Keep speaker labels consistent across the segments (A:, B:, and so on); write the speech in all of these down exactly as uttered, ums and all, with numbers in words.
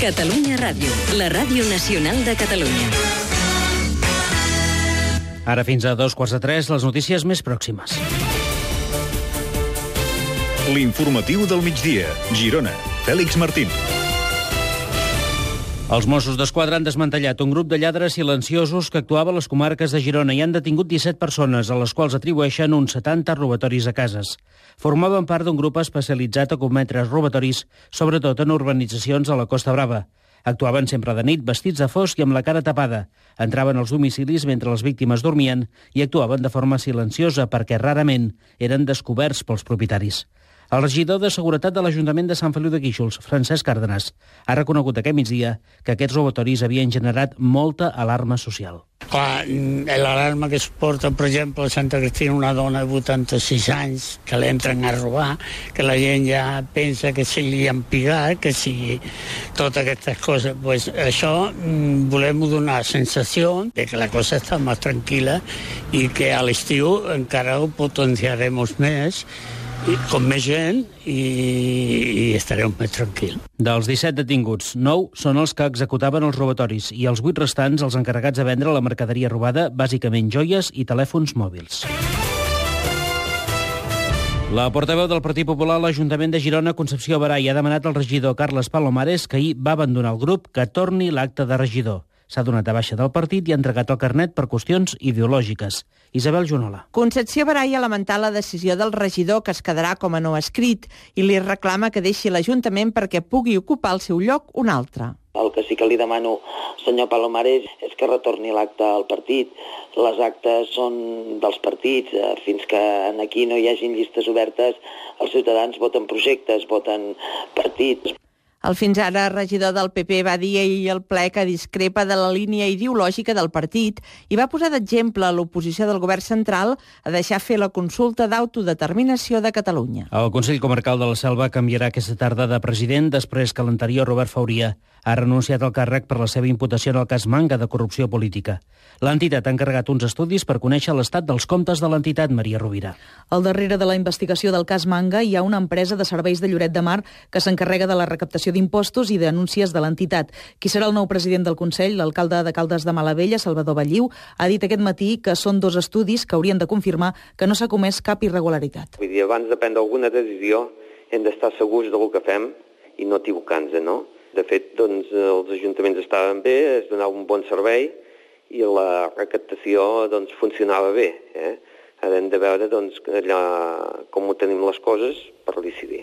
A: Catalunya Ràdio, la ràdio nacional de Catalunya.
B: Ara fins a dos quarts de tres, les notícies més pròximes.
C: L'informatiu del migdia. Girona. Fèlix Martín.
B: Els Mossos d'Esquadra han desmantellat un grup de lladres silenciosos que actuava a les comarques de Girona i han detingut disset persones, a les quals atribueixen uns setanta robatoris a cases. Formaven part d'un grup especialitzat a cometre robatoris, sobretot en urbanitzacions a la Costa Brava. Actuaven sempre de nit, vestits de fosc i amb la cara tapada. Entraven als domicilis mentre les víctimes dormien i actuaven de forma silenciosa perquè rarament eren descoberts pels propietaris. El regidor de Seguretat de l'Ajuntament de Sant Feliu de Guíxols, Francesc Cárdenas, ha reconegut aquest migdia que aquests robatoris havien generat molta alarma social.
D: Clar, l'alarma que es porta, per exemple, a Santa Cristina, una dona de vuitanta-sis anys que l'entren a robar, que la gent ja pensa que si li han pigat, que si totes aquestes coses. Pues això mm, volem donar la sensació de que la cosa està més tranquil·la i que a l'estiu encara ho potenciarem més, i com més gent, i, i estarem més tranquils.
B: Dels disset detinguts, nou són els que executaven els robatoris i els vuit restants els encarregats de vendre la mercaderia robada, bàsicament joies i telèfons mòbils. La portaveu del Partit Popular a l'Ajuntament de Girona, Concepció Barai, ha demanat al regidor Carles Palomares, que ahir va abandonar el grup, que torni l'acte de regidor. S'ha donat a baixa del partit i ha entregat el carnet per qüestions ideològiques. Isabel Junola.
E: Concepció Barai ha lamentat la decisió del regidor, que es quedarà com a no escrit, i li reclama que deixi l'Ajuntament perquè pugui ocupar el seu lloc un altre.
F: El que sí que li demano, senyor Palomares, és que retorni l'acte al partit. Les actes són dels partits. Fins que aquí no hi hagin llistes obertes, els ciutadans voten projectes, voten partits.
E: El fins ara regidor del P P va dir ahir al ple que discrepa de la línia ideològica del partit i va posar d'exemple a l'oposició del govern central a deixar fer la consulta d'autodeterminació de Catalunya.
B: El Consell Comarcal de la Selva canviarà aquesta tarda de president després que l'anterior, Robert Fauria, ha renunciat al càrrec per la seva imputació en el cas Manga de corrupció política. L'entitat ha encarregat uns estudis per conèixer l'estat dels comptes de l'entitat, Maria Rovira.
G: Al darrere de la investigació del cas Manga hi ha una empresa de serveis de Lloret de Mar que s'encarrega de la recaptació d'impostos i denúncies de l'entitat. Qui serà el nou president del Consell, l'alcalde de Caldes de Malavella, Salvador Balliu, ha dit aquest matí que són dos estudis que haurien de confirmar que no s'ha comès cap irregularitat.
H: Vull dir, abans de prendre alguna decisió hem d'estar segurs del que fem i no equivocar-nos, no? De fet, doncs, els ajuntaments estaven bé, es donava un bon servei i la recaptació doncs, funcionava bé. Eh? Ara hem de veure doncs, allà, com ho tenim les coses per decidir.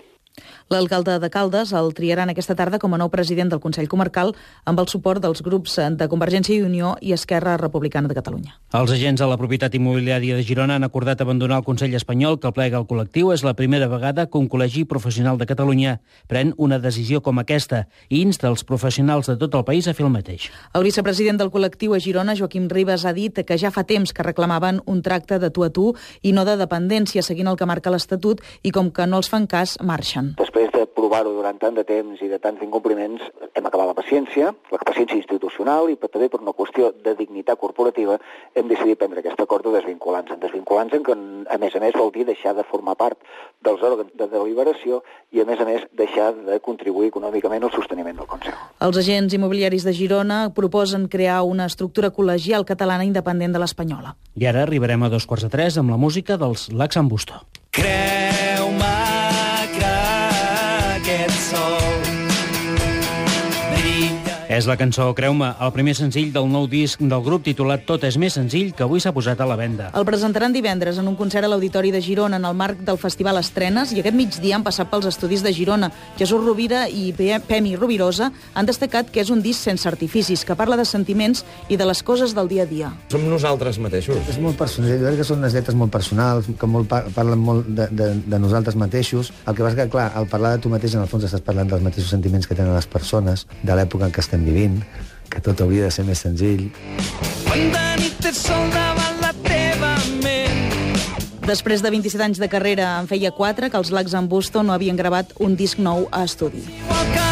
G: L'alcalde de Caldes el triaran aquesta tarda com a nou president del Consell Comarcal amb el suport dels grups de Convergència i Unió i Esquerra Republicana de Catalunya.
B: Els agents de la propietat immobiliària de Girona han acordat abandonar el Consell espanyol que el plega el col·lectiu. És la primera vegada que un col·legi professional de Catalunya pren una decisió com aquesta i insta els professionals de tot el país a fer el mateix.
G: El vicepresident del col·lectiu a Girona, Joaquim Ribas, ha dit que ja fa temps que reclamaven un tracte de tu a tu i no de dependència, seguint el que marca l'Estatut, i com que no els fan cas, marxen.
I: Després de provar-ho durant tant de temps i de tants incompliments, hem acabat la paciència, la paciència institucional, i també per una qüestió de dignitat corporativa hem decidit prendre aquest acord de desvincular-nos. Desvincular-nos, que a més a més vol dir deixar de formar part dels òrgans de deliberació i a més a més deixar de contribuir econòmicament al sosteniment del Consell.
G: Els agents immobiliaris de Girona proposen crear una estructura col·legial catalana independent de l'espanyola.
B: I ara arribarem a dos quarts de tres amb la música dels Laxambusto.
J: Creu-me que aquest sol brilla.
B: És la cançó Creu-me, el primer senzill del nou disc del grup titulat Tot és més senzill, que avui s'ha posat a la venda.
G: El presentaran divendres en un concert a l'Auditori de Girona en el marc del Festival Estrenes, i aquest migdia han passat pels estudis de Girona. Jesús Rovira i Pemi Rovirosa han destacat que és un disc sense artificis, que parla de sentiments i de les coses del dia a dia.
K: Som nosaltres mateixos.
L: És molt personal, jo crec que són unes lletres molt personals, que molt par parlen molt de, de, de nosaltres mateixos. El que passa que, clar, al parlar de tu mateix, en el fons estàs parlant dels mateixos sentiments que tenen les persones, de l'època en què estem vivint, que tot hauria de ser més senzill.
J: Quan de nit és sol davant la teva ment.
G: Després de vint-i-set anys de carrera, en feia quatre que els Laxambusto no havien gravat un disc nou a estudi.
J: Igual que